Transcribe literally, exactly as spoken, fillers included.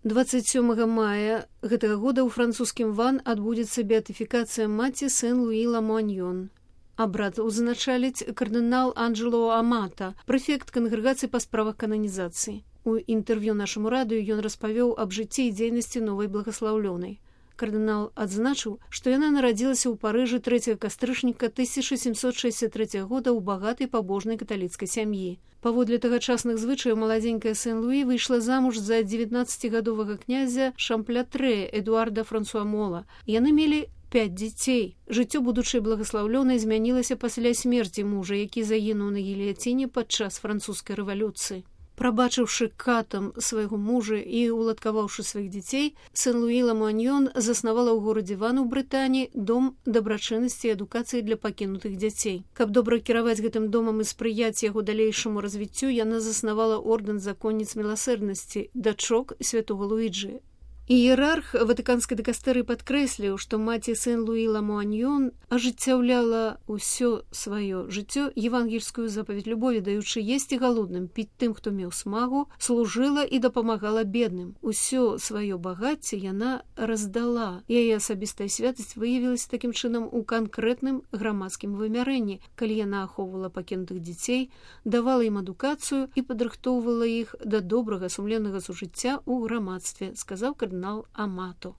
дваццаць сёмага мая гэтага года ў французскім Ван адбудзецца беатыфікацыя маці Сен-Луі Ламуаньён. Абрад узначаліць кардынал Анджело Амата, прэфект кангрэгацыі па справах кананізацыі. У інтэрв'ю нашаму радыё ён распавёў аб жыцці і дзейнасці новай благаслаўлёнай. Кардынал адзначыў, што яна нарадзілася ў Парыжы трэцяга кастрычніка тысяча сямсот шэсцьдзясят трэцяга года ў багатай пабожнай каталіцкай сям'і. Паводле тагачасных звычаяў маладзенькая Сен-Луі выйшла замуж за дзевятнаццацігадовага князя Шампля-Трэ Эдуарда Франсуа Мола. Яны мелі пяць дзяцей. Жыццё будучай благаслаўлёнай змянілася пасля смерці мужа, які загінуў на гільяціне падчас французскай рэвалюцыі. Прабачыўшы катам свайго мужа і уладкаваўшы сваіх дзяцей, Сен-Луі Ламуаньён заснавала ў горадзе Ван у Брытаніі дом дабрачыннасці і адукацыі для пакінутых дзяцей. Каб добра кіраваць гэтым домам і спрыяць яго далейшаму развіццю, яна заснавала ордэн законніц міласэрнасці, дачок святога Луіджы. Іерарх ватыканскай дыкастэрыі падкрэсліў, што маці Сен-Луі Ламуаньён ажыццяўляла ўсё сваё жыццё евангельскую запаведь любові, даючы есці галодным, піць тым, хто меў смагу, служыла і дапамагала бедным. Усё сваё багацце яна раздала. Яе асабістая святасць выявілася такім чынам у канкрэтным грамадскім вымярэнні, калі яна ахоўвала пакінутых дзяцей, давала ім адукацыю і падрыхтоўвала іх да добрага сумленнага сужыцця ў грамадстве, сказаў кардынал Амато.